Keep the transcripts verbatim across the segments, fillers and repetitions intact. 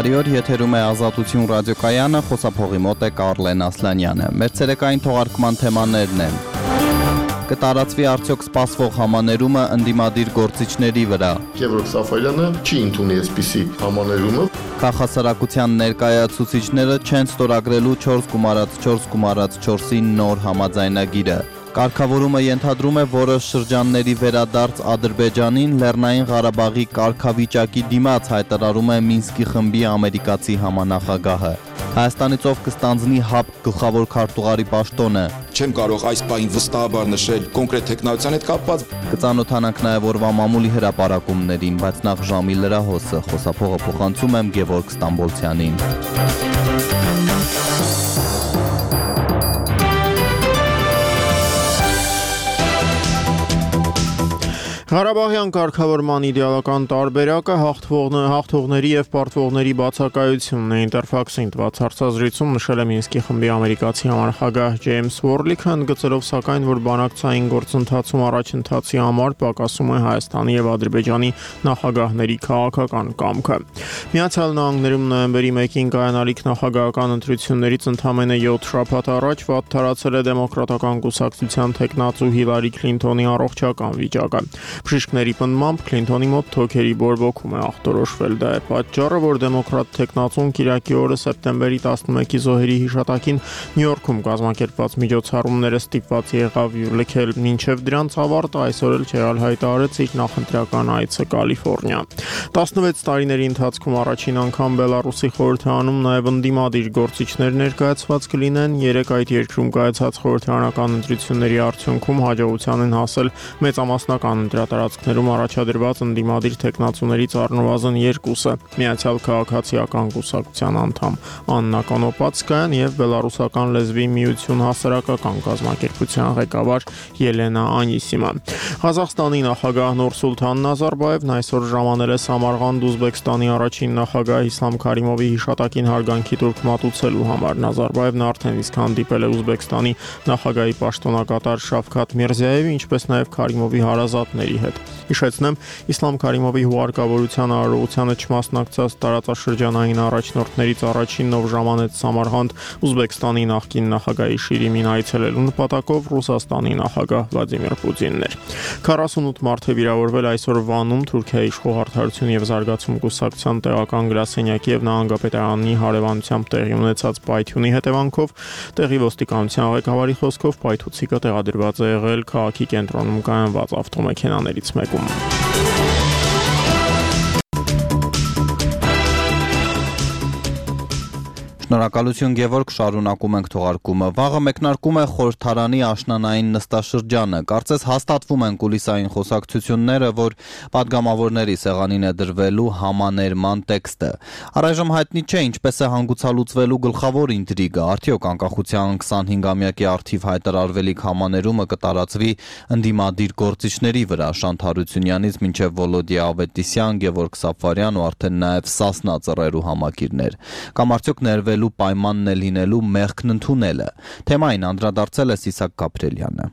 Բարի օր, եթերում է Ազատություն ռադիոկայանը, խոսափողի մոտ է Կարլեն Ասլանյանը։ Մեր ցերեկային թողարկման թեմաներն են. Կտարածվի արդյոք սպասվող համաներումը ընդդիմադիր գործիչների վրա։ Գևորգ Սաֆարյանը չի ընդունի այսպիսի համաներումը։ Քաղաքասարակության ներկայացուցիչները չեն ստորագրելու չորս գումարած չորս գումարած չորսի նոր համաձայնագիրը։ Կարգավորումը ենթադրում է որոշ շրջանների վերադարձ Ադրբեջանին, Լեռնային Ղարաբաղի կարգավիճակի դիմաց, հայտարարում է Մինսկի խմբի ամերիկացի համանախագահը։ Հայաստանից ով կստանձնի ՀԱՊ գլխավոր քարտուղարի պաշտոնը։ Չեմ կարող այս պահին վստահաբար նշել կոնկրետ տեխնոլոգիան հետ կապված։ Կծանոթանանք նաև օրվա մամուլի հրապարակումներին, բայց նախ ժամի լրահոսը, խոսափողը փոխանցում եմ Գևորգ Ստամբոլցյանին։ Ղարաբաղյան կարգավորման իդեալական տարբերակը հաղթողների և պարտվողների բացակայությունն է, Ինտերֆաքսին տված հարցազրույցում նշել է Մինսկի խմբի ամերիկացի համանախագահ Ջեյմս Ուորլիքը, ընդգծելով սակայն, որ բանակցային գործընթացում առաջընթացի համար պակասում է Հայաստանի և Ադրբեջանի նախագահների քաղաքական կամքը։ Միացյալ Նահանգներում նոյեմբերի մեկին կայանալիք նախագահական ընտրություններից ընդամենը յոթ շաբաթ առաջ վատ թարացել է դեմոկրատական կուսակցության թեկնածու Հիլարի Քլինթոնի առողջական վիճակը։ Բժիշկների պնդմամբ Քլինթոնի մոտ թոքերի բորբոքում է ախտորոշվել, դա է պատճառը, որ դեմոկրատ թեկնածուն կիրակի օրը սեպտեմբերի տասնմեկի զոհերի հիշատակին Նյու Յորքում կազմակերպված միջոցառումները ստիպված եղավ լքել, մինչև դրանց ավարտը այսօր էլ չեղյալ հայտարարեց իր նախընտրական այցը Կալիֆոռնիա։ տասնվեց տարիների ընթացքում առաջին անգամ Բելարուսի խորհրդարանում նաև ընդդիմադիր գործիչներ ներկայացված կլինեն, երեք այդ երկրում կայացած խորհրդարանական ընտրությունների արդյունքում հաջողության են հասել մեծամասնական ընտրատարածքներում առաջադրված ընդդիմադիր թեկնածուներից առնվազն երկուսը՝ Միացյալ Քաղաքացիական կուսակցության անդամ Աննա Կոնոպացկայան և Բելարուսական լեզվի միություն հասարակական կազմակերպության ղեկավար Ելենա Անիսիմը։ Ղազախստանի նախագահ Նուրսուլթան Նազարբաևն այսօր ժամանել է Սամարղանդ Ուզբեկստանի առաջին նախագահ Իսլամ Քարիմովի հիշատակին հարգանքի տուրք մատուցելու համար։ Նազարբաևն արդեն իսկ հանդիպել է Ուզբեկստանի նախագահի պաշտոնակատար Շավքաթ Միրզիայևի, ինչպես նաև Քարիմովի հարազատների հետ։ Հիշեցնեմ, Իսլամ Քարիմովի հուղարկավորության արարողությանը չմասնակցած տարածաշրջանային առաջնորդներից առաջինն, ով ժամանեց Սամարղանդ Ուզբեկստանի նախկին նախագահի Շիրիմին այցելելու նպատակով Ռուսաստանի նախագահ Վլադիմիր Պուտինն էր։ քառասունութ մարդ է վիրավորվել այսօր Վանում Թուրքիայի իշխող Արդարություն և զարգացում կուսակցության տեղական գրասենյակի և նահանգապետարանի հարևանությամբ տեղի ունեցած պայթյունի հետևանքով։ Տեղի ոստիկանության ղեկավարի խոսքով պայթուցիկը տեղադրված է եղել քաղաքի կենտրոնում կայանված ավտոմեքենաներից մեկում։ Շնորհակալություն Գևորգ, շարունակում ենք թողարկումը։ Վաղը մեկնարկում է խորհրդարանի աշնանային նստաշրջանը։ Կարծես հաստատվում են կուլիսային խոսակցությունները, որ պատգամավորների սեղանին է դրվելու համաներման տեքստը։ Առայժմ հայտնի չէ ինչպես է հանգուցալուծվելու գլխավոր ինտրիգը, արդյոք անկախության քսանհինգամյակի առթիվ հայտարարվելիք համաներումը կտարածվի ընդդիմադիր գործիչների վրա, Շանթ Հարությունյանից մինչև Վոլոդիա Ավետիսյան, Գևորգ Սաֆարյան ու արդեն նաև Սասնա ծռերու համակիրներ։ Կամ արդյոք ներվել պայմանն է լինելու մեղքն ընդունելը։ Թեմային անդրադարձել է Սիսակ Գաբրելյանը։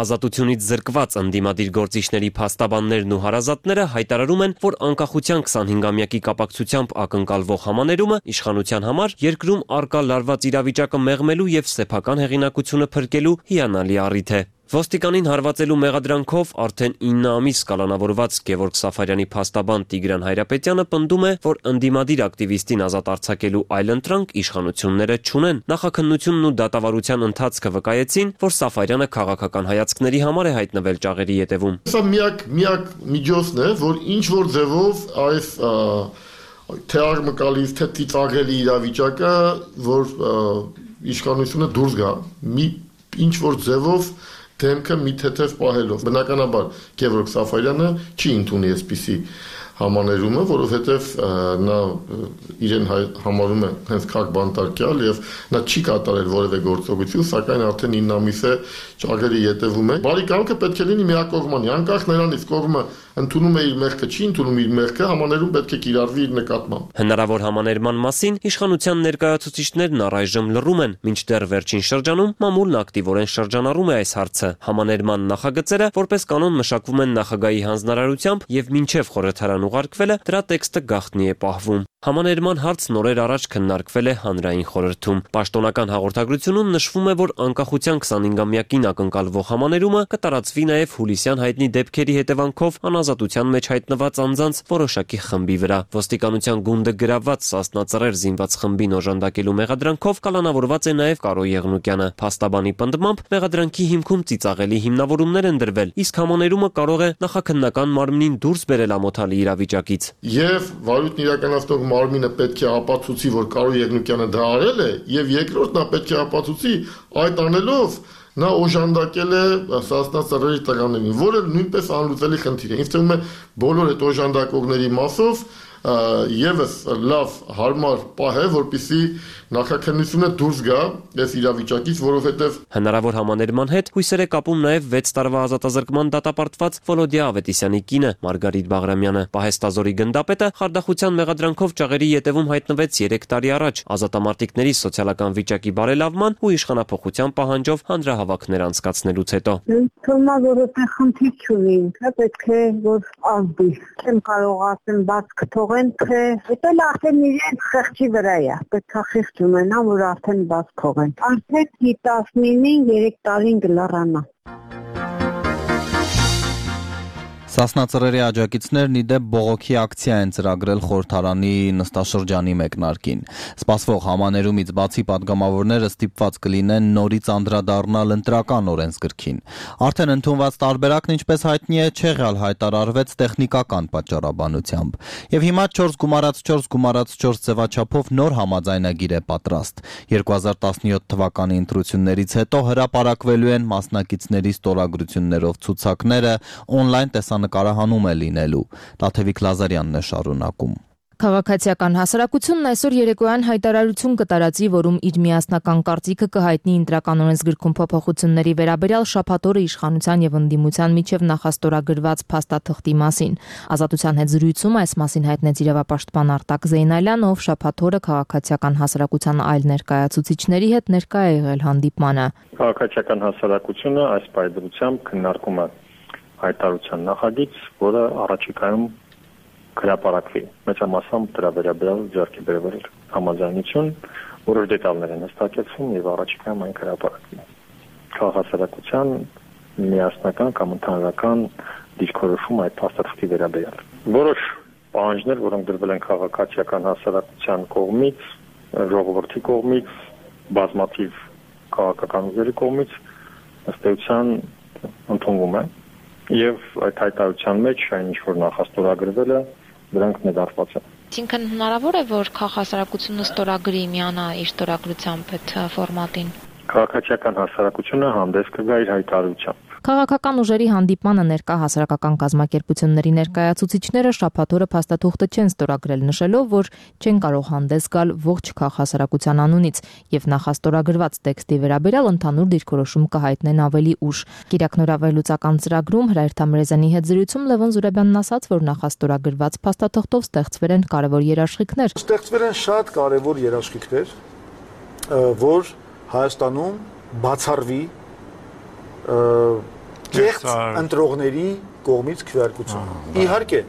Ազատությունից զրկված ընդդիմադիր գործիչների փաստաբաններն ու հարազատները հայտարարում են, որ անկախության քսանհինգամյակի կապակցությամբ ակնկալվող համաներումը իշխանության համար երկրում առկա լարված իրավիճակը մեղմելու և սեփական հեղինակությունը փրկելու հիանալի առիթ է։ Ոստիկանին հարվածելու մեղադրանքով արդեն ինը ամիս կալանավորված Գևորգ Սաֆարյանի փաստաբան Տիգրան Հայրապետյանը պնդում է, որ ընդդիմադիր ակտիվիստին ազատ արձակելու այլընտրանք իշխանությունները չունեն։ Նախաքննությունն ու դատավարության ընթացքը վկայեցին, որ Սաֆարյանը քաղաքական հայացքների համար է հայտնվել ճաղերի ետևում։ Սա միակ միակ միջոցն է, որ ինչ որ ձևով այս թե աղմկալից, թե ծիծաղելի իրավիճակը, որ իշխանությունը դուրս գա, մի ինչ որ ձևով դեմքը մի թեթև պահելով։ Բնականաբար Գևորգ Սաֆարյանը չի ընդունի այսպիսի համաներումը, որովհետև նա իրեն համարում է հենց քաղաք բանտարկյալ եւ նա չի կատարել որևէ գործողություն, սակայն արդեն ինը ամիս է ճաղերի ետևում է։ Բարի կամքը պետք է լինի միակողմանի, անկախ նրանից կողմը ընդունում է իր մեղքը, չի ընդունում իր մեղքը, համաներում պետք է կիրառվի իր նկատմամբ։ Հնարավոր համաներման մասին իշխանության ներկայացուցիչներն առայժմ լռում են, մինչդեռ վերջին շրջանում մամուլն ակտիվորեն շրջանառում է այս հարցը։ Համաներման նախագծերը որպես կանոն մշակվում են նախագահի հանձնարարությամբ եւ մինչեւ խորհրդարան ուղարկվելը դրա տեքստը գաղտնի է պահվում։ Համաներման հարց նորեր առաջ քննարկվել է հանրային խորհրդում։ Պաշտոնական հաղորդագրությունում նշվում է, որ անկախության քսանհինգամյակին ակնկալվող համաներումը կտարածվի նաև հուլիսյան հայտնի դեպքերի հետևանքով անազատության մեջ հայտնված անձանց որոշակի խմբի վրա։ Ոստիկանության գունդը գրաված Սասնա-Ծռեր զինված խմբին օժանդակելու մեղադրանքով կալանավորված է նաև Կարո Եղնուկյանը։ Փաստաբանի պնդմամբ մեղադրանքի հիմքում ծիծաղելի հիմնավորումներ են դրվել, իսկ համաներումը կարող է նախաքննական մարմնին դուրս բերել ամոթալի իրավիճակից։ Եվ վարույթն իրականացնող մարմինը պետք է ապացուցի, որ Կարո Եղնուկյանը դա արել է, եւ երկրորդ նա պետք է ապացուցի այդ անելով նա օժանդակել է Սասնա-Ծռերի տղաներին, որը նույնպես անլուծելի խնդիր է։ Ինձ թվում է բոլոր այդ օժանդակողների մասով եւս լավ հարմար պահ է, որպեսզի նախաքննությունը դուրս գա այս իրավիճակից, որովհետեւ հնարավոր համաներման հետ հույսեր է կապում նաև վեց տարվա ազատազրկման դատապարտված Վոլոդիա Ավետիսյանի կինը Մարգարիտ Բաղրամյանը։ Պահեստազորի գնդապետը խարդախության մեղադրանքով ճաղերի ետևում հայտնվեց երեք տարի առաջ ազատամարտիկների սոցիալական վիճակի բարելավման ու իշխանափոխության պահանջով հանրահավաքներ անցկացնելուց հետո։ Թվում է, որ այդտեղ խնդիր չունի, ինքը պետք է որ ազդի։ Չեմ կարող ասեմ բաց կթողեն, թե դա արդեն իրենց խեղճի վրա է։ Պետք է խեղճ ունենա, որ արդեն բաց թողեն։ Արդեն տասնինին երեք տարին գլարանա։ Սասնա-Ծռերի աջակիցներն ի դեպ բողոքի ակցիա են ծրագրել խորհրդարանի նստաշրջանի մեկնարկին։ Սպասվող համաներումից բացի պատգամավորները ստիպված կլինեն նորից անդրադառնալ ընտրական օրենսգրքին։ Արդեն ընդունված տարբերակն, ինչպես հայտնի է, չեղյալ հայտարարվեց տեխնիկական պատճառաբանությամբ։ Եվ հիմա չորս գումարած չորս գումարած չորս ձևաչափով նոր համաձայնագիր է պատրաստ։ երկու հազար տասնյոթ թվականի ընտրություններից հետո հրապարակվելու են մասնակիցների ստորագրություններով ցուցակները, օնլայն տեսան նկարահանում է լինելու։ Տաթևիկ Լազարյանն է շարունակում։ Քաղաքացիական հասարակությունն այսօր երեկոյան հայտարարություն կտարածի, որում իր միասնական կարծիքը կհայտնի ընտրական օրենսգրքում փոփոխությունների վերաբերյալ շաբաթ օրը իշխանության եւ ընդդիմության միջև նախաստորագրված փաստաթղթի մասին։ Ազատության հետ զրույցում այս մասին հայտնեց իրավապաշտպան Արտակ Զեյնալյանը, ով շաբաթ օրը քաղաքացիական հասարակության այլ ներկայացուցիչների հետ ներկա է եղել հանդիպմանը։ Քաղաքացիական հասարակությունը այս պայմանությամբ քննարկում է հայտարարության նախագիծ, որը առաջիկայում հրապարակվի։ Մեծամասամբ դրա վերաբերյալ ձեռքի բերվել համաձայնություն, որոշ դետալներ են հստակեցվում եւ առաջիկայում այն հրապարակվի։ Քաղաքացիական միասնական կամ ընդհանրական դիրքորոշում այդ փաստաթղթի վերաբերյալ։ Որոշ պահանջներ, որոնք դրվել են քաղաքացիական հասարակության կողմից, ժողովրդի կողմից, բազմաթիվ քաղաքական ուժերի կողմից, ըստ էության ընդունվում է։ Եվ այդ հայտարարության մեջ այն ինչ որ նախաստորագրվել է, դրանք ներառված են։ Այսինքն հնարավոր է, որ քաղաքասարակությունը ստորագրի միանա իր ստորագրությամբ այդ ֆորմատին։ Քաղաքացիական հասարակությունը հանդես կգա իր հայտարարությամբ։ Քաղաքական ուժերի հանդիպմանը ներկա հասարակական կազմակերպությունների ներկայացուցիչները շաբաթ օրը փաստաթուղթը չեն ստորագրել, նշելով, որ չեն կարող հանդես գալ ողջ քաղաքասարակության անունից եւ նախաստորագրված տեքստի վերաբերյալ ընդհանուր դիրքորոշում կհայտնեն ավելի ուշ։ Կիրակնորավելուծական ծրագրում Հրայր Թամրեզյանի հետ զրույցում Լևոն Զուրաբյանն ասաց, որ նախաստորագրված փաստաթղթով ստեղծվել են կարևոր երաշխիքներ։ Ստեղծվել են շատ կարևոր երաշխիքներ, որ Հայաստանում բացառվի կեղծ ընտրողների կողմից քվեարկություն։ Իհարկե,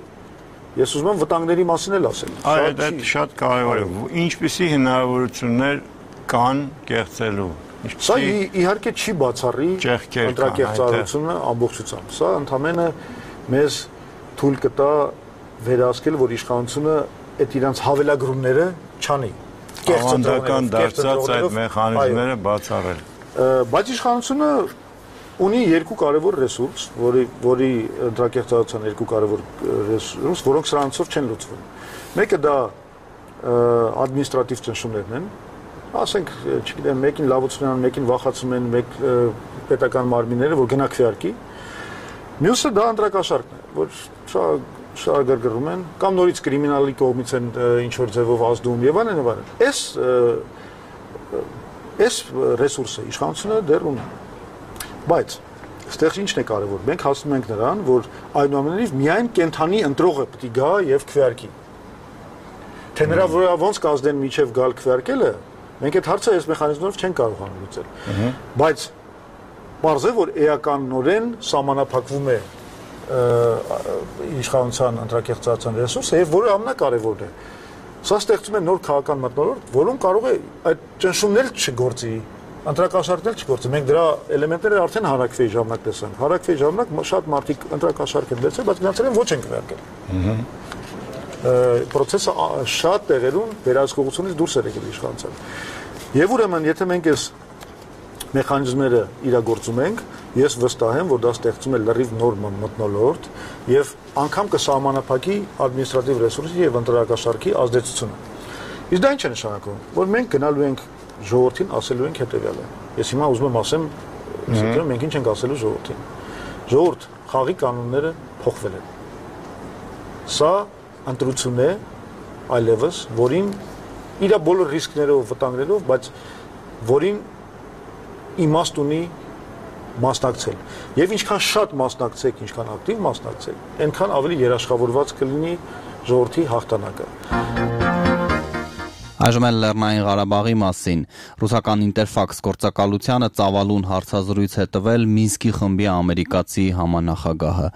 ես ուզում եմ վտանգների մասին էլ ասել։ Այդ այդ շատ կարևոր է։ Ինչպիսի հնարավորություններ կան կեղծելու։ Սա իհարկե չի բացառի ընտրակեղծարարությունը ամբողջությամբ։ Սա ընդհանրապես մեզ թույլ կտա վերահսկել, որ իշխանությունը այդ իրանց հավելագրումները չանի։ Ավանդական դարձած այդ մեխանիզմները բացառել։ Բայց իշխանությունը ունի երկու կարևոր ռեսուրս, որի որի ընտրակեղծարարության երկու կարևոր ռեսուրս, որոնք սրանցով չեն լուծվում։ Մեկը դա ադմինիստրատիվ ճնշումներն են, ասենք, չգիտեմ, մեկին լավություն են, մեկին վախացում են, մեկ պետական մարմինները, որ գնա քվեարկի։ Մյուսը դա ընտրակաշառքն է, որ շարագրգռում են, կամ նորից կրիմինալի կողմից են ինչ որ ձևով ազդում եւ այլն եւ այլն։ Այս այս ռեսուրսը իշխանությունը դեռ ունի։ Բայց այստեղ ինչն է կարևոր։ Մենք հասնում ենք նրան, որ այնուամենայնիվ միայն կենթանի ընտրողը պետք է գա եւ քվեարկի։ Թե նրա վրա ոնց կազդեն միջև գալ քվեարկելը, մենք այդ հարցը այս մեխանիզմով չենք կարողանում լուծել։ Բայց բարձր է, որ էականորեն սահմանափակվում է իշխանության ընտրակեղծարարության ռեսուրսը եւ որը ամենակարևորն է Սա ստեղծում է նոր քաղաքական մթնոլորտ, որում կարող է այդ ճնշումն էլ չգործի, ընտրակաշառքն էլ չգործի։ Մենք դրա էլեմենտները արդեն հարակվեի ժամանակ տեսանք։ Հարակվեի ժամանակ շատ մարդիկ ընտրակաշառք են վերցրել, բայց գնացել են ոչ են քվեարկել։ Պրոցեսը շատ տեղերում վերահսկողությունից դուրս էր եկել իշխանության։ Եվ ուրեմն, եթե մենք այս մեխանիզմները իրագործում ենք, ես վստահ եմ, որ դա ստեղծում է լրիվ նոր մթնոլորտ եւ անգամ կսահմանափակի ադմինիստրատիվ ռեսուրսի եւ ընտրակաշառքի ազդեցությունը։ Իսկ դա ինչ է նշանակում, որ մենք գնալու ենք ժողովրդին ասելու ենք հետեւյալը։ Ես հիմա ուզում եմ ասեմ, ասեմ մենք ինչ ենք ասելու ժողովրդին։ Ժողովուրդ, խաղի կանոնները փոխվել են։ Սա ընտրություն է այլևս, որին իր բոլոր ռիսկներով, վտանգներով, բայց որին իմաստ ունի մասնակցել։ Եվ ինչքան շատ մասնակցեք, ինչքան ակտիվ մասնակցեք, այնքան ավելի երաշխավորված կլինի ժողովրդի հաղթանակը։ Այժմ էլ Լեռնային Ղարաբաղի մասին ռուսական Ինտերֆաքս գործակալությանը ծավալուն հարցազրույց է տվել Մինսկի խմբի ամերիկացի համանախագահը։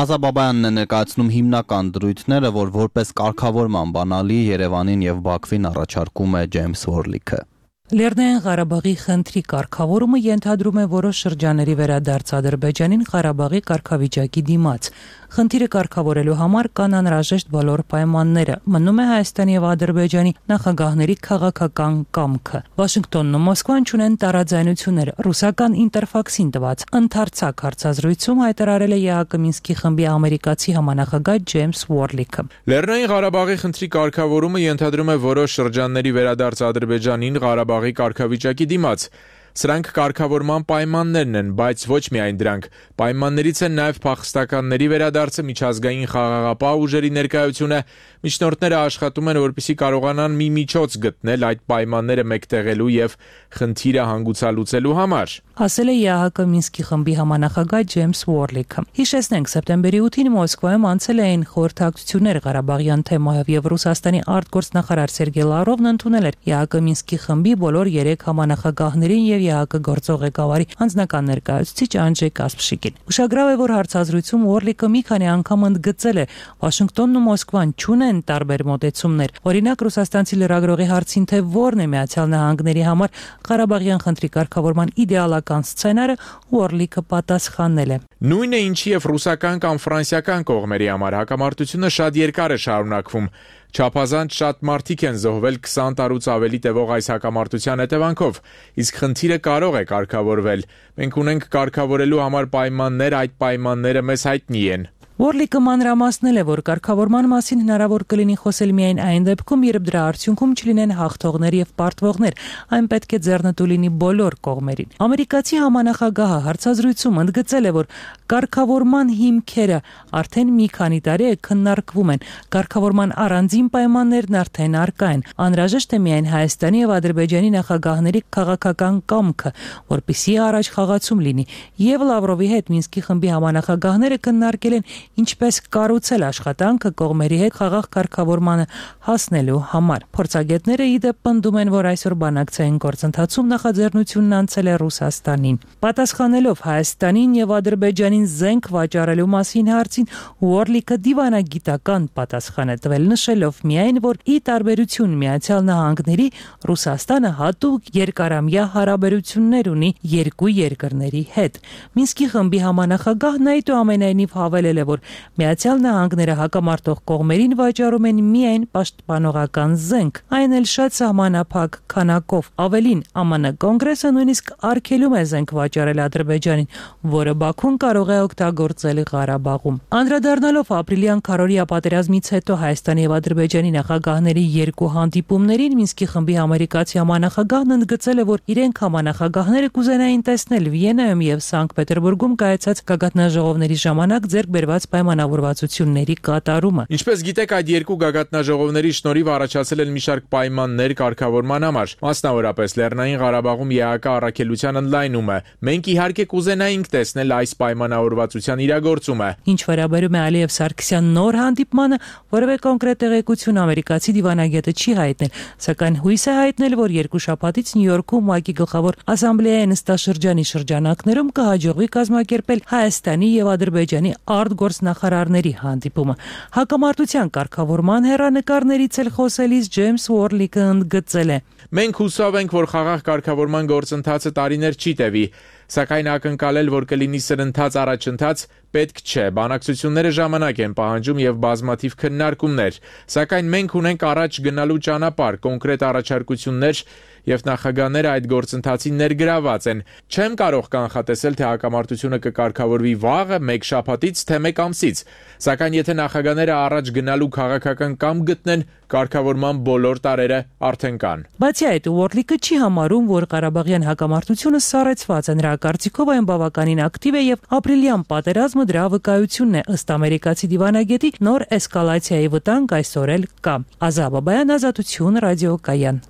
Ազա Բաբայանն է ներկայացնում հիմնական դրույթները, որ որպես կարգավորման բանալի Երևանին եւ Բաքվին առաջարկում է Ջեյմս Վորլիքը։ Լեռնային Ղարաբաղի խնդրի կարգավորումը ենթադրում է որոշ շրջանների վերադարձ Ադրբեջանին Ղարաբաղի կարգավիճակի դիմաց։ Խնդիրը կարգավորելու համար կան անհրաժեշտ բոլոր պայմանները։ Մնում է Հայաստանի եւ Ադրբեջանի նախագահների քաղաքական կամքը։ Վաշինգտոնն ու Մոսկվան ունեն տարաձայնություններ։ Ռուսական Ինտերֆաքսին տված ընդարձակ հարցազրույցում հայտարարել է ԵԱՀԿ Մինսկի խմբի ամերիկացի համանախագահ Ջեյմս Վորլիքը։ Լեռնային Ղարաբաղի խնդրի կարգավորումը ենթադրում է որոշ շրջանների վերադարձ Ադրբեջանին Ղարաբաղի կարգավիճակի դիմաց։ Սրանք կարգավորման պայմաններն են, բայց ոչ միայն դրանք։ Պայմաններից են նաև փախստականների վերադարձը, միջազգային խաղաղապահ ուժերի ներկայությունը։ Միջնորդները աշխատում են, որպեսզի կարողանան մի միջոց գտնել այդ պայմանները մեկտեղելու եւ խնդիրը հանգուցալուծելու համար, ասել է ԵԱՀԿ Մինսկի խմբի համանախագահ Ջեյմս Վորլիքը։ Հիշեցնենք, սեպտեմբերի ութին Մոսկվայում անցել էին խորհրդակցություններ Ղարաբաղյան թեմայով եւ Ռուսաստանի արտգործնախարար Սերգեյ Լավրովն ընդունել էր ԵԱՀԿ Մինսկի խմբի բոլոր երեք համանախագահներին եւ ԵԱՀԿ գործող ղեկավարի անձնական ներկայացուցիչ Անջեյ Կասպշիկին։ Ուշագրավ է, որ հարցազրույցում Վորլիկը մի քանի անգամ ընդգծել է, Վաշինգտոնն ու Մոսկվան չունեն տարբեր մոտեցումներ։ Օրինակ, ռուսաստանցի լրագրողի հարցին, թե որն է Միացյալ Նահանգների համար Ղարաբաղյան խնդրի կարգավորման իդեալական սցենարը, Վորլիկը պատասխանել է. Նույնը ինչի եւ ռուսական կամ ֆրանսիական կողմերի համար հակամարտությունը շատ երկար է շարունակվում։ Չափազանց շատ մարդիկ են զոհվել քսան տարուց ավելի տևող այս հակամարտության հետևանքով, իսկ խնդիրը կարող է կարգավորվել։ Մենք ունենք կարգավորելու համար պայմաններ, այդ պայմանները մեզ հայտնի են։ Վորլիկը մանրամասնել է, որ կարգավորման մասին հնարավոր կլինի խոսել միայն այն դեպքում, երբ դրա արդյունքում չլինեն հաղթողներ եւ պարտվողներ, այն պետք է ձեռնտու լինի բոլոր կողմերին։ Ամերիկացի համանախագահը հարցազրույցում ընդգծել է, որ կարգավորման հիմքերը արդեն մի քանի տարի է քննարկվում են, կարգավորման առանձին պայմաններն արդեն առկա են։ Անհրաժեշտ է միայն Հայաստանի եւ Ադրբեջանի նախագահների քաղաքական կամքը, որպեսզի առաջ խաղացում լինի։ Եվ Լավրովի հետ Մինսկի խմբի համանախագահները քննարկել են ինչպես կառուցել աշխատանքը կողմերի հետ խաղաղ կարգավորմանը հասնելու համար։ Փորձագետները ի դեպ պնդում են, որ այսօր բանակցային գործընթացում նախաձեռնությունն անցել է Ռուսաստանին։ Պատասխանելով Հայաստանին եւ Ադրբեջանին զենք վաճառելու մասին հարցին, Վորլիկը դիվանագիտական պատասխան է տվել, նշելով միայն, որ ի տարբերություն Միացյալ Նահանգների, Ռուսաստանը հատուկ երկարամյա հարաբերություններ ունի երկու երկրների հետ։ Մինսկի խմբի համանախագահն այդուամենայնիվ հավելել է, որ Միացյալ Նահանգները հակամարտող կողմերին վաճառում են միայն պաշտպանողական զենք, այն էլ շատ սահմանափակ քանակով։ Ավելին, ԱՄՆ կոնգրեսը նույնիսկ արգելում է զենք վաճառել Ադրբեջանին, որը Բաքուն կարող է օգտագործել Ղարաբաղում։ Անդրադառնալով ապրիլյան քարորիա պատերազմից հետո Հայաստանի եւ Ադրբեջանի նախագահների երկու հանդիպումներին, Մինսկի խմբի ամերիկացի համանախագահն ընդգծել է, որ իրենք համանախագահները կուզենային տեսնել Վիեննայում եւ Սանկտ Պետերբուրգում կայացած գագաթնաժողովների ժամանակ ձեռք բերված պայմանավորվածությունների կատարումը։ Ինչպես գիտեք, այդ երկու գագաթնաժողովների շնորհիվ առաջացել են մի շարք պայմաններ կարգավորման համար, մասնավորապես Լեռնային Ղարաբաղում ԵԱՀԿ առաքելության ընդլայնումը։ Մենք իհարկե կուզենայինք տեսնել այս պայմանավորվածության իրագործումը։ Ինչ վերաբերում է Ալիև Սարգսյան նոր հանդիպմանը, որևէ կոնկրետ տեղեկություն ամերիկացի դիվանագետը չի հայտնել, սակայն հույս է հայտնել, որ երկու շաբաթից Նյու Յորքում ՄԱԿ-ի գլխավոր ասամբլեայի նստաշրջանի շրջանակներում կհաջողվի կազմակերպել Հայաստանի եւ Ադրբեջանի արտգործնախարարների գործնախարարների հանդիպումը։ Հակամարտության կարգավորման հեռանկարներից էլ խոսելիս Ջեյմս Ուորլիկը ընդգծել է. Մենք հուսով ենք, որ խաղաղ կարգավորման գործընթացը տարիներ չի տևի, սակայն ակնկալել, որ կլինի սրընթաց առաջընթաց, պետք չէ։ Բանակցությունները ժամանակ են պահանջում եւ բազմաթիվ քննարկումներ, սակայն մենք ունենք առաջ գնալու ճանապարհ, կոնկրետ առաջարկություններ եւ նախագահները այդ գործընթացին ներգրաված են։ Չեմ կարող կանխատեսել, թե հակամարտությունը կկարգավորվի վաղը, մեկ շաբաթից, թե մեկ ամսից, սակայն եթե նախագահները առաջ գնալու քաղաքական կամ գտնեն, կարգավորման բոլոր տարերը արդեն կան։ Բացի այդ, Ուորլիկը չի համարում, որ Ղարաբաղյան հակամարտությունը սառեցված է, նրա կարծիքով այն բավականին ակտիվ է եւ ապրիլյան պատերազմը դրա վկայությունն է, ըստ ամերիկացի դիվանագետի նոր էսկալացիայի վտանգ այսօր էլ կա։ Ազա Բաբայան, Ազատություն, ռադիոկայան։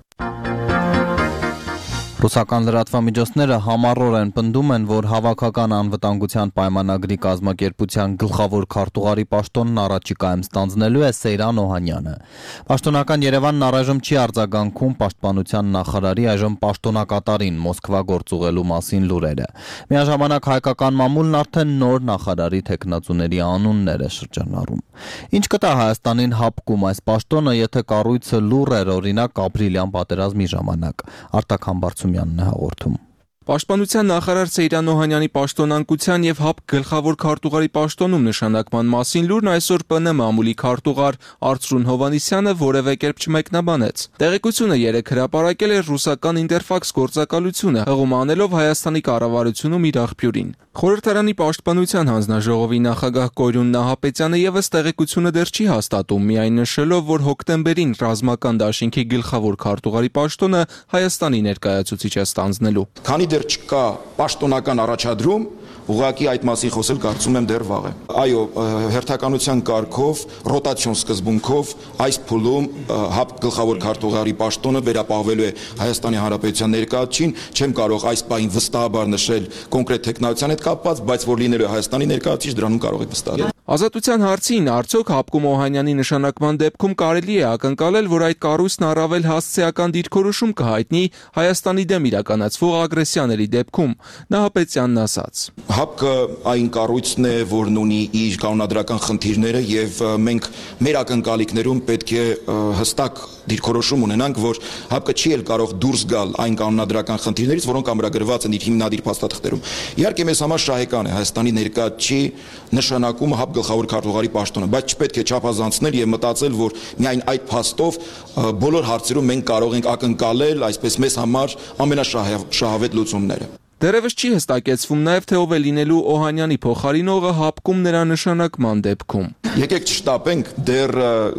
Ռուսական լրատվամիջոցները համառորեն պնդում են, որ հավաքական անվտանգության պայմանագրի կազմակերպության գլխավոր քարտուղարի պաշտոնն առաջիկայում ստանձնելու է Սեյրան Օհանյանը։ Պաշտոնական Երևանն առայժմ չի արձագանքում պաշտպանության նախարարի այժմ պաշտոնակատարին Մոսկվա գործուղելու մասին լուրերը։ Միաժամանակ հայկական մամուլն արդեն նոր նախարարի թեկնածուների անուններ է շրջանառում։ Ինչ կտա Հայաստանին հապկում այս պաշտոնը, եթե կառույցը լուռ էր, օրինակ ապրիլյան պատերազմի ժամանակ։ Արտակ Համբարձումյանն է հաղորդում։ Պաշտպանության նախարար Սեյրան Օհանյանի պաշտոնանկության եւ ՀԱՊԿ գլխավոր քարտուղարի պաշտոնում նշանակման մասին լուրն այսօր ՊՆ մամուլի քարտուղար Արծրուն Հովանիսյանը որևէ կերպ չմեկնաբանեց։ Տեղեկությունը երեք հրապարակել էր ռուսական Ինտերֆաքս գործակալությունը, հղում անելով Հայաստանի կառավարությունում իր աղբյուրին։ Խորհրդարանի պաշտպանության հանձնաժողովի նախագահ Կոյրուն Նահապետյանը եւս տեղեկությունը դեռ չի հաստատում, միայն նշելով, որ հոկտեմբերին ռազմական դաշինքի գլխավոր քարտուղարի պաշտոնը Հայաստանի ներկայացուցիչ է ստանձնելու։ Քանի դեռ չկա պաշտոնական առաջադրում, ուղղակի այդ մասին խոսել կարծում եմ դեռ վաղ է։ Այո, հերթականության կարգով, ռոտացիոն սկզբունքով այս փուլում ՀԱՊԿ գլխավոր քարտուղարի պաշտոնը վերապահվելու է Հայաստանի Հանրապետության ներկայացուցիչին, չեմ կարող այս բային վստահաբար նշել կոնկրետ տեխնոլոգիան հետ կապված, բայց որ լինելու է Հայաստանի ներկայացուցիչ, դրանում կարող եք վստահել։ Ազատության հարցին արդյոք ՀԱՊԿ-ում Օհանյանի նշանակման դեպքում կարելի է ակնկալել, որ այդ կառույցն առավել հասցեական դիրքորոշում կհայտնի Հայաստանի դեմ իրականացվող ագրեսիաների դեպքում, Նահապետյանն ասաց։ ՀԱՊԿ-ը այն կառույցն է, որն ունի իր կանոնադրական խնդիրները եւ մենք մեր ակնկալիքներում պետք է հստակ դիրքորոշում ունենանք, որ ՀԱՊԿ-ը չի էլ կարող դուրս գալ այն կանոնադրական խնդիրներից, որոնք ամրագրված են իր հիմնադիր փաստաթղթերում։ Իհարկե մեզ համար շահեկան է Հայաստանի ներկայացուցիչի նշանակումը ՀԱՊԿ գլխավոր քարտուղարի պաշտոնը, բայց չպետք է չափազանցնել եւ մտածել, որ միայն այդ փաստով բոլոր հարցերում մենք կարող ենք ակնկալել, այսպես մեզ համար ամենաշահավետ լուծումները։ Դեռևս չի հստակեցվում նաև, թե ով է լինելու Օհանյանի փոխարինողը ՀԱՊԿ-ում նրա նշանակման դեպքում։ Եկեք չշտապենք, դեռ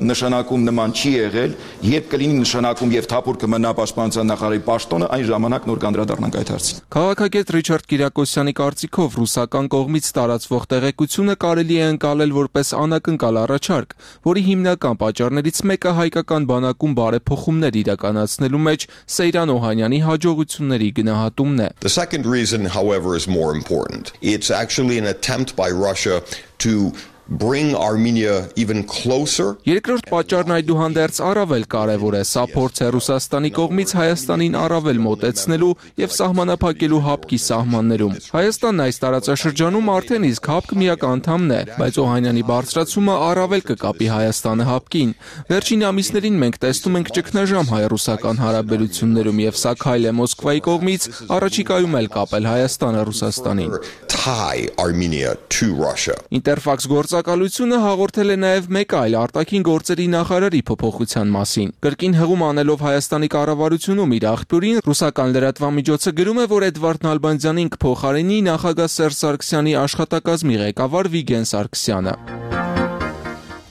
նշանակում նման չի եղել, երբ կլինի նշանակում եւ թափուր կմնա պաշտպանության նախարարի պաշտոնը, այն ժամանակ նոր կանդրադառնանք այդ հարցին։ Քաղաքագետ Ռիչարդ Կիրակոսյանի կարծիքով ռուսական կողմից տարածվող տեղեկությունը կարելի է ընկալել որպես անակնկալ առաջարկ, որի հիմնական պատճառներից մեկը հայկական բանակում բարեփոխումներ իրականացնելու մեջ Սեյրան Օհանյանի հաջողությունների գնահատումն է։ The second reason, however, is more important. It's actually an attempt by Russia to bring Armenia even closer. Երկրորդ պատճառն այդուհանդերձ առավել կարևոր է, սա փորձ է Ռուսաստանի կողմից Հայաստանին առավել մոտեցնելու եւ սահմանափակելու ՀԱՊԿ-ի սահմաններում։ Հայաստանն այս տարածաշրջանում արդեն իսկ ՀԱՊԿ միակ անդամն է, բայց Օհանյանի բարձրացումը առավել կկապի Հայաստանը ՀԱՊԿ-ին։ Վերջին ամիսներին մենք տեսնում ենք ճգնաժամ հայ-ռուսական հարաբերություններում եւ սա քայլ է Մոսկվայի կողմից առաջիկայում էլ կապել Հայաստանը Ռուսաստանին։ Tie Armenia to Russia. Ինտերֆաքս գործակալությունը հաղորդել է նաև մեկ այլ արտաքին գործերի նախարարի փոփոխության մասին։ Կրկին հղում անելով Հայաստանի կառավարությունում իր աղբյուրին, ռուսական լրատվամիջոցը գրում է, որ Էդվարդ Նալբանդյանին կփոխարինի նախագահ Սերժ Սարգսյանի աշխատակազմի ղեկավար Վիգեն Սարգսյանը։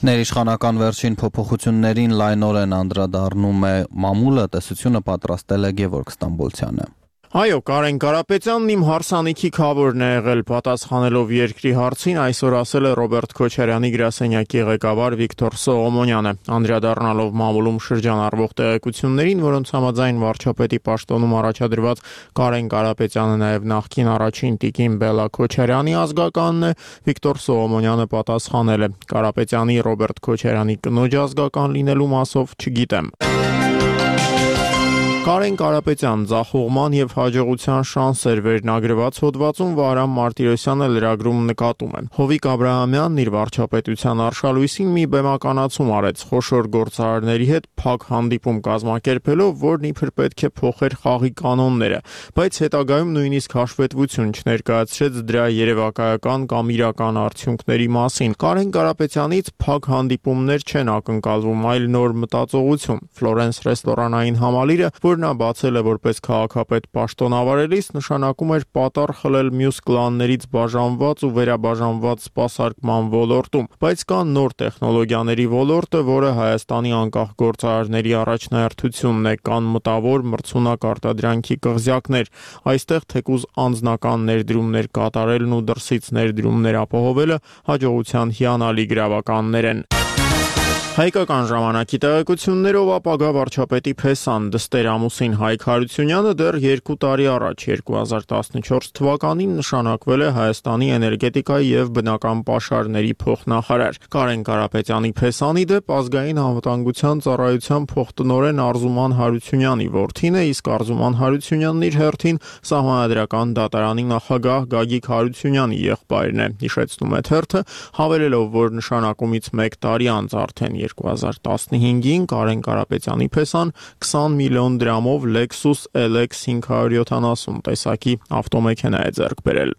Ներիշխանական վերջին փոփոխություններին լայնորեն անդրադառնում է մամուլը, տեսությունը պատրաստել է Գևորգ Ստամբոլցյանը։ Այո, Կարեն Կարապետյանն իմ հարսանիքի քավորն է եղել, պատասխանելով երկրի հարցին, այսօր ասել է Ռոբերտ Քոչարյանի գրասենյակի ղեկավար Վիկտոր Սողոմոնյանը, անդրադառնալով մամուլում շրջանառվող տեղեկություններին, որոնց համաձայն վարչապետի պաշտոնում առաջադրված Կարեն Կարապետյանը նաև նախկին առաջին տիկին Բելա Քոչարյանի ազգականն է, Վիկտոր Սողոմոնյանը պատասխանել է. Կարապետյանի Ռոբերտ Քոչարյանի կնոջ ազգական լինելու մասով չգիտեմ։ Կարեն Կարապետյան ձախողման եւ հաջողության շանսեր վերնագրված հոդվածում Վահրամ Մարտիրոսյանը լրագրում նկատում է. Հովիկ Աբրահամյանն իր վարչապետության արշալույսին մի բեմականացում արեց խոշոր գործարարների հետ փակ հանդիպում կազմակերպելով, որն իբր պետք է փոխեր խաղի կանոնները, բայց հետագայում նույնիսկ հաշվետվություն չներկայացրեց դրա երևակայական կամ իրական արդյունքների մասին։ Կարեն Կարապետյանից փակ հանդիպումներ չեն ակնկալվում, այլ նոր մտածողություն։ Ֆլորենս ռեստորանային համալիրը, որ նա բացել է որպես քաղաքապետ պաշտոնավարելիս, նշանակում էր պատառ խլել մյուս կլաններից բաժանված ու վերաբաժանված սպասարկման ոլորտում, բայց կա նոր տեխնոլոգիաների ոլորտը, որը Հայաստանի անկախ գործարարների առաջնահերթությունն է, կան մտավոր մրցունակ արտադրանքի կղզյակներ, այստեղ թեկուզ անձնական ներդրումներ կատարելն ու դրսից ներդրումներ ապահովելը հաջողության հիանալի գրավականներ են։ Հայկական ժամանակի տեղեկություններով ապագա վարչապետի փեսան դստեր ամուսին Հայկ Հարությունյանը դեռ երկու տարի առաջ երկու հազար տասնչորս թվականին նշանակվել է Հայաստանի էներգետիկայի եւ բնական պաշարների փոխնախարար։ Կարեն Կարապետյանի փեսանի դեպ ազգային անվտանգության ծառայության փոխտնօրեն Արզուման Հարությունյանի որդին է, իսկ Արզուման Հարությունյանն իր հերթին Սահմանադրական դատարանի նախագահ Գագիկ Հարությունյանի եղբայրն է, հիշեցնում է թերթը, հավելելով, որ նշանակումից մեկ տարի անց արդեն երկու հազար տասնհինգին Կարեն Կարապետյանի փեսան քսան միլիոն դրամով Lexus L X հինգ հարյուր յոթանասուն տեսակի ավտոմեքենա է ձեռք բերել։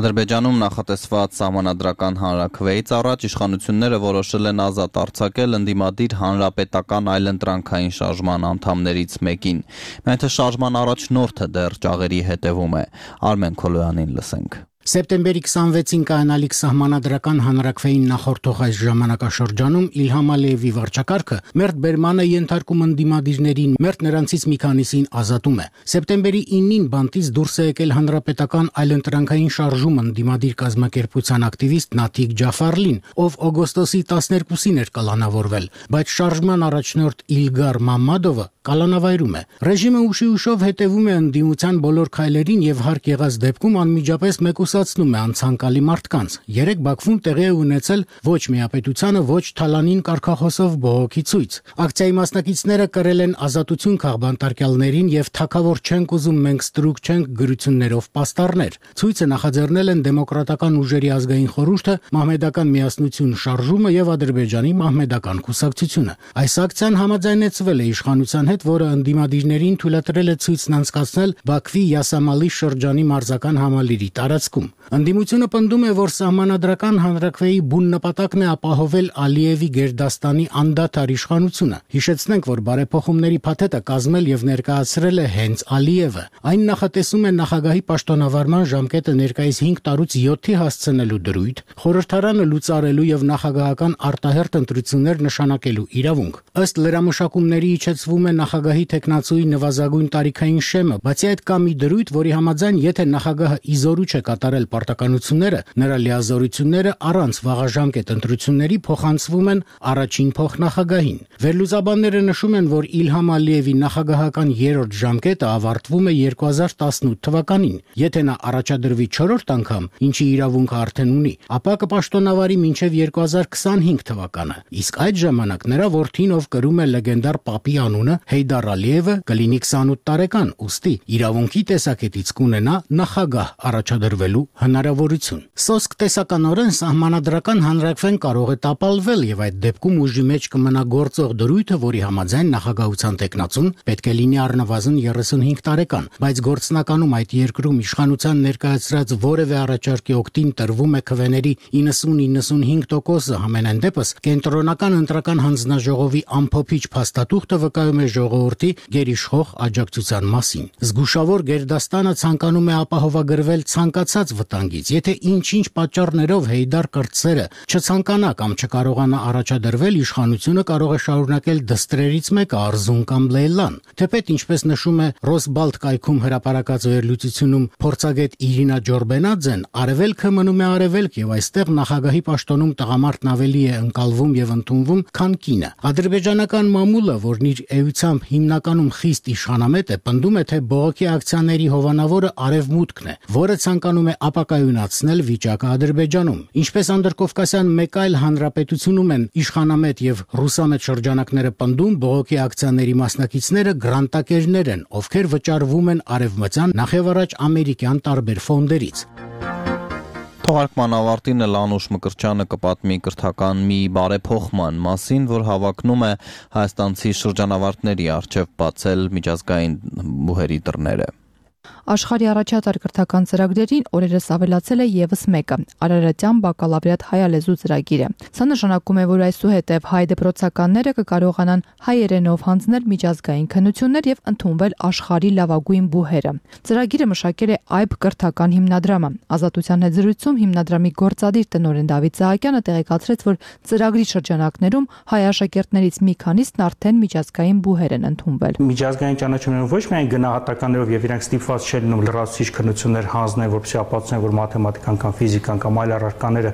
Ադրբեջանում նախատեսված սահմանադրական հանրաքվեից առաջ իշխանությունները որոշել են ազատ արձակել ընդդիմադիր հանրապետական այլընտրանքային շարժման անդամներից մեկին։ Միայն թե շարժման առաջնորդը դեռ ճաղերի հետևում է։ Արմեն Քոլոյանին լսենք։ Սեպտեմբերի քսանվեցին կայանալիք սահմանադրական հանրաքվեին նախորդող այս ժամանակաշրջանում Իլհամ Ալիևի վարչակարգը մերթ բերման է ենթարկում ընդդիմադիրներին, մերթ նրանցից մի քանիսին ազատում է։ Սեպտեմբերի իննին բանտից դուրս է եկել հանրապետական այլընտրանքային շարժում ընդդիմադիր կազմակերպության ակտիվիստ Նաթիկ Ջաֆարլին, ով օգոստոսի տասներկուսին էր կալանավորվել, բայց շարժման առաջնորդ Իլգար Մամմադովը կալանավայրում է։ Ռեժիմը ուշի ուշով հետևում է ընդդիմության բոլոր քայլերին եւ հարկ եղած դեպքում անմիջապես մեկուսացնում է անցանկալի մարդկանց։ Երեք Բաքվում տեղի է ունեցել ոչ միապետությանը, ոչ թալանին կարգախոսով բողոքի ցույց։ Ակցիայի մասնակիցները կրել են ազատություն քաղբանտարկյալներին եւ թակավոր չենք ուզում, մենք ստրուկ չենք գրություններով պաստառներ։ Ցույցը նախաձեռնել են Դեմոկրատական ուժերի ազգային խորհուրդը, Մահմեդական միասնություն շարժումը եւ Ադրբեջանի Մահմեդական կուսակցությունը։ Այս ակցիան համաձայնեցվել է իշխանության հետ, որը ընդդիմադիրներին թույլատրել է ցույցն անցկացնել Բաքվի Յասամալի շրջանի մարզական համալիրի տարածքում։ Ընդդիմությունը պնդում է, որ սահմանադրական հանրաքվեի բուն նպատակն է ապահովել Ալիևի Գերդաստանի անդադար իշխանությունը։ Հիշեցնենք, որ բարեփոխումների փաթեթը կազմել եւ ներկայացրել է հենց Ալիևը։ Այն նախատեսում է նախագահի պաշտոնավարման ժամկետը ներկայիս հինգ տարուց յոթի հասցնելու դրույթ, խորհրդարանը լուծարելու եւ նախագահական արտահերթ ընտրություններ նշանակելու իրավունք։ Ըստ լրամշակումների իջեցվում է նախագահի տեխնացուի նվազագույն տարիքային շեմը, բացի այդ կա մի դրույթ, որի համաձայն եթե նախագահը իզորու չէ կատարել պարտականությունները, նրա լիազորությունները առանց վաղաժամկետ ընտրությունների փոխանցվում են առաջին փոխնախագահին։ Վերլուծաբանները նշում են, որ Իլհամ Ալիևի նախագահական երրորդ ժամկետը ավարտվում է երկու հազար տասնութ թվականին։ Եթե նա առաջադրվի չորրորդ անգամ, ինչի իրավունքը արդեն ունի, ապա կպաշտոնավարի մինչև երկու հազար քսանհինգ թվականը։ Իսկ այդ ժամանակ նրա որդին, ով կրում է լեգենդար Պապի անունը, Հեյդար Ալիևը, կլինի քսանութ տարեկան, ուստի իրավունքի տեսակետից կունենա նախագահ առաջադրվելու հնարավորություն։ Սոսկ տեսականորեն սահմանադրական հանրաքվեն կարող է տապալվել եւ այդ դեպքում ուժի մեջ կմնա գործող դրույթը, որի համաձայն նախագահության տեխնացուն պետք է լինի առնվազն երեսունհինգ տարեկան, բայց գործնականում այդ երկրում իշխանության ներկայացրած որևէ առաջարկի օգտին տրվում է քվեների իննսուն-իննսունհինգ տոկոսը, համենայն դեպս կենտրոնական ընտրական հանձնաժողովի ամփոփիչ փաստաթուղթը վկայում է ժողովրդի գերիշխող աջակցության մասին։ Զգուշավոր Գերդաստանը ցանկանում է ապահովագրվել ցանկացած վտանգից, եթե ինչ-ինչ պատճառներով Հեյդար կրտսերը չցանկանա կամ չկարողանա առաջադրվել, իշխանությունը կարող է շարունակել դստրերից մեկը Արզուն կամ Լեյլան։ Թեպետ, ինչպես նշում է Ռոսբալտ կայքում հրապարակած վերլուծությունում փորձագետ Իրինա Ջորբենաձեն, արևելքը մնում է արևելք եւ այստեղ նախագահի պաշտոնում տղամարդն ավելի է ընկալվում եւ ընդունվում, քան կինը։ Ադրբեջանական մամուլը, որն իր էության ուղղությամբ հիմնականում խիստ իշխանամետ է, պնդում է, թե բողոքի ակցիաների հովանավորը արևմուտքն է, որը ցանկանում է ապակայունացնել վիճակը Ադրբեջանում։ Ինչպես անդրկովկասյան մեկ այլ հանրապետությունում են իշխանամետ եւ ռուսամետ շրջանակները պնդում, բողոքի ակցիաների մասնակիցները գրանտակերներ են, ովքեր վճարվում են արևմտյան, նախևառաջ ամերիկյան տարբեր ֆոնդերից։ Թողարկման ավարտին էլ Անուշ Մկրտչյանը կպատմի կրթական մի բարեփոխման մասին, որ հավակնում է հայաստանցի շրջանավարտների առջև բացել միջազգային բուհերի դռները։ Աշխարհի առաջատար կրթական ծրագրերին օրերս ավելացել է եւս մեկը՝ Արարատյան բակալավրիատ հայալեզու ծրագիրը։ Սա նշանակում է, որ այսուհետև հայ դպրոցականները կկարողանան հայերենով հանձնել միջազգային քննություններ եւ ընդունվել աշխարհի լավագույն բուհերը։ Ծրագիրը մշակել է Այբ կրթական հիմնադրամը։ Ազատության հետ զրույցում հիմնադրամի գործադիր տնօրեն Դավիթ Սահակյանը տեղեկացրեց, որ ծրագրի շրջանակներում հայ աշակերտներից մի քանիսն արդեն միջազգային բուհեր են ընդունվել։ Միջազգային ճանաչումներով ոչ միայն գնահատականներով եւ իրանք ստիպված չեն ու լրացուցիչ քննություններ հանձնել, որպեսզի ապացուցեն, որ մաթեմատիկան կամ ֆիզիկան կամ այլ առարկաները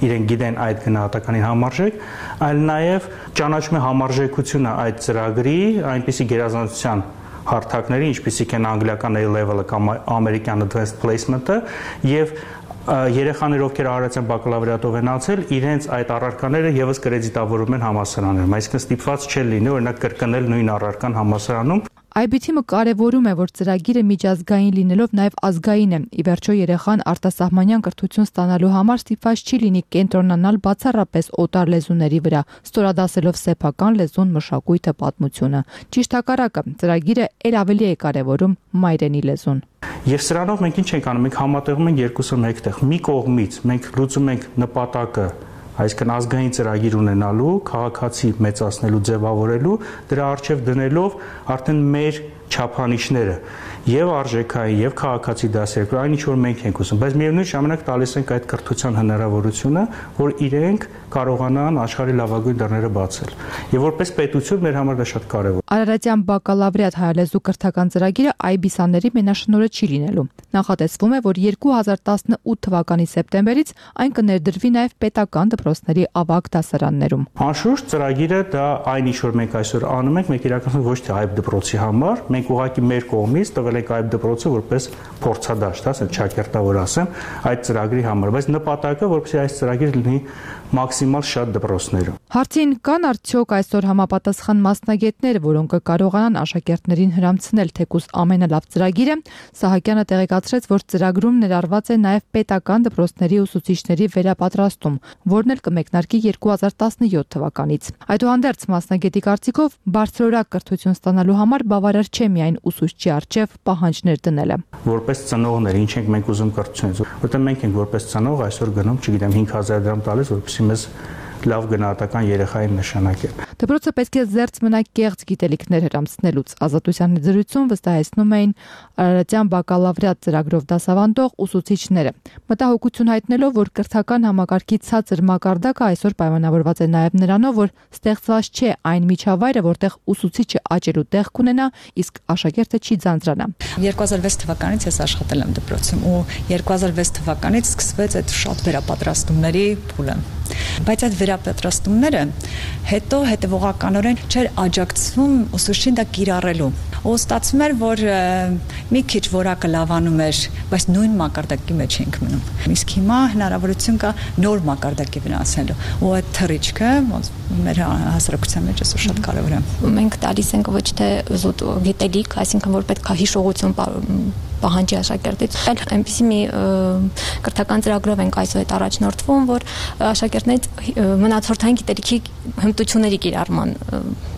իրենք գիտեն այդ գնահատականին համարժեք, այլ նաև ճանաչում է համարժեքությունը այդ ծրագրի այնպիսի գերազանցության հարթակների, ինչպիսիք են անգլիական A-level-ը կամ ամերիկյան advanced placement-ը եւ երեխաներ, ովքեր արարատյան բակալավրիատով են անցել, իրենց այդ առարկաները եւս կրեդիտավորում են համալսարաններում, այսինքն ստիպված չեն լինի օրինակ կրկնել նույն առարկան համալսարանում։ Այ բի թիմը կարևորում է, որ ծրագիրը միջազգային լինելով նաև ազգային է։ Ի վերջո երեխան արտասահմանյան կրթություն ստանալու համար ստիպված չի լինի կենտրոնանալ բացառապես օտար լեզուների վրա, ստորադասելով սեփական լեզուն, մշակույթը, պատմությունը։ Ճիշտ հակառակը, ծրագիրը ել ավելի է կարևորում մայրենի լեզուն։ Եվ սրանով մենք ինչ ենք անում, մենք համատեղում ենք երկուսը մեկտեղ։ Մի կողմից մենք լուծում ենք նպատակը, այսինքն ազգային ծրագիր ունենալու, քաղաքացի մեծացնելու, ձևավորելու, դրա առջև դնելով արդեն մեր չափանիշները եւ արժեքային եւ քաղաքացի դասեր, այն ինչ որ մենք ենք ուզում, բայց միևնույն ժամանակ տալիս ենք այդ կրթության հնարավորությունը, որ իրենք կարողանան աշխարհի լավագույն դռները բացել։ Եվ որպես պետություն մեր համար դա շատ կարեւոր է։ Արարատյան բակալավրիատ հայալեզու կրթական ծրագիրը այ բիսաների մենաշնորհը չի լինելու։ Նախատեսվում է, որ երկու հազար տասնութ թվականի սեպտեմբերից այն կներդրվի նաև պետական դպրոցների ավագ դասարաններում։ Անշուշտ ծրագիրը դա այն ինչ որ մենք այսօր անում ենք, մենք իրականում ոչ թե այբ դպրոցի համար, մենք ուղղակի մեր կողմից տվել ենք այբ դպրոցը որպես փորձադաշտ, ասեն ճակերտավոր ասեմ, այդ ծրագրի համար, բայց նպատակը որպեսզի այս ծրագիրը լինի մաքսիմալ շատ դպրոցներում։ Հարցին կան արդյոք այսօր համապատասխան մասնագետներ, որոնք կկարողանան աշակերտներին հրամցնել թեկուզ ամենալավ ծրագիրը, Սահակյանը տեղեկացրեց, որ ծրագրում ներառված է նաև պետական դպրոցների ուսուցիչների վերապատրաստում, որն էլ կմեկնարկի երկու հազար տասնյոթ թվականից։ Այդուհանդերձ մասնագետի կարծիքով բարձրորակ կրթություն ստանալու համար բավարար չէ միայն ուսուցչի առջև պահանջներ դնելը։ Որպես ծնողներ, ինչ ենք մենք ուզում կրթությունից, որտեղ մենք ենք որպես ծնող այսօր գնում, չգիտեմ, հինգ հազար դրամ տալիս, որպեսզի մեզ լավ գնահատական երեխային նշանակել։ Դպրոցը պետք է զերծ մնա կեղծ գիտելիքներ հրամցնելուց։ Ազատության զրույցում վստահեցնում էին Արարատյան բակալավրիատ ծրագրով դասավանդող ուսուցիչները, մտահոգություն հայտնելով, որ կրթական համակարգի ցածր մակարդակը այսօր պայմանավորված է նաև նրանով, որ ստեղծված չէ այն միջավայրը, որտեղ ուսուցիչը աճելու տեղ կունենա, իսկ աշակերտը չի ձանձրանա։ երկու հազար վեց թվականից ես աշխատել եմ դպրոցում ու երկու հազար վեց թվականից սկսվեց այդ շատ վերապատրաստումների փուլը։ Բայց այդ վերապատրաստումները հետո հետևողականորեն չէր աջակցվում ուսուցչին դա կիրառելու։ Ու ստացվում էր, որ մի քիչ որակը լավանում էր, բայց նույն մակարդակի մեջ ենք մնում։ Իսկ հիմա հնարավորություն կա նոր մակարդակի վնասելու։ Ու այդ թռիչքը մեր հասարակության մեջ այսօր շատ կարևոր է։ Մենք տալիս ենք ոչ թե զուտ գիտելիք, այսինքն որ պետք է հիշողություն պահանջի աշակերտից, այլ այնպիսի մի կրթական ծրագրով ենք այսօր այդ առաջնորդվում, որ աշակերտներից մնացորդային գիտելիքի հմտությունների կիրառման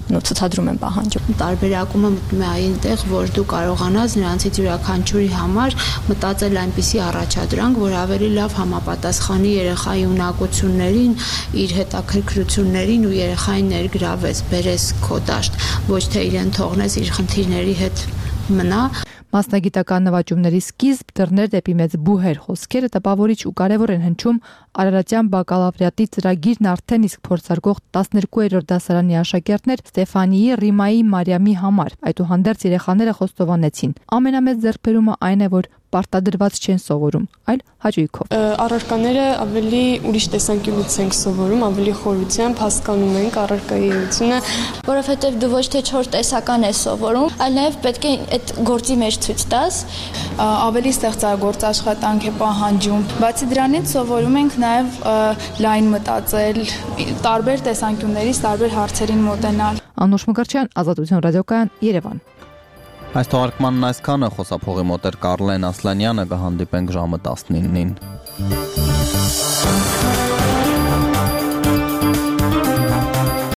ցուցադրում են պահանջում։ Տարբերակումը մտնում է այնտեղ, որ դու կարողանաս նրանցից յուրաքանչյուրի համար մտածել այնպիսի առաջադրանք, որ ավելի լավ համապատասխանի երեխայի ունակություններին, իր հետաքրքրություններին ու երեխային ներգրավես, բերես քո դաշտ, ոչ թե իրեն թողնես իր խնդիրների հետ մնա։ Մասնագիտական նվաճումների սկիզբ, դռներ դեպի մեծ բուհեր խոսքերը տպավորիչ ու կարևոր են հնչում Արարատյան բակալավրիատի ծրագիրն արդեն իսկ փորձարկող տասներկուերորդ դասարանի աշակերտներ Ստեֆանիի, Ռիմայի, Մարիամի համար։ Այդուհանդերձ երեխաները խոստովանեցին. ամենամեծ ձեռքբերումը այն է, որ պարտադրված չեն սովորում, այլ հաճույքով։ Առարկաները ավելի ուրիշ տեսանկյունից ենք սովորում, ավելի խորությամբ հասկանում ենք առարկայի էությունը, որովհետև դու ոչ թե չոր տեսական ես սովորում, այլ նաև պետք է այդ գործի մեջ ցույց տաս, ավելի ստեղծագործ աշխատանք է պահանջում։ Բացի դրանից սովորում ենք նաև լայն մտածել, տարբեր տեսանկյուններից տարբեր հարցերին մոտենալ։ Անուշ Մկրտչյան, Ազատություն ռադիոկայան, Երևան։ Այս թողարկմանն այսքանը, խոսափողի մոտ էր Կարլեն Ասլանյանը, կհանդիպենք ժամը տասնինին։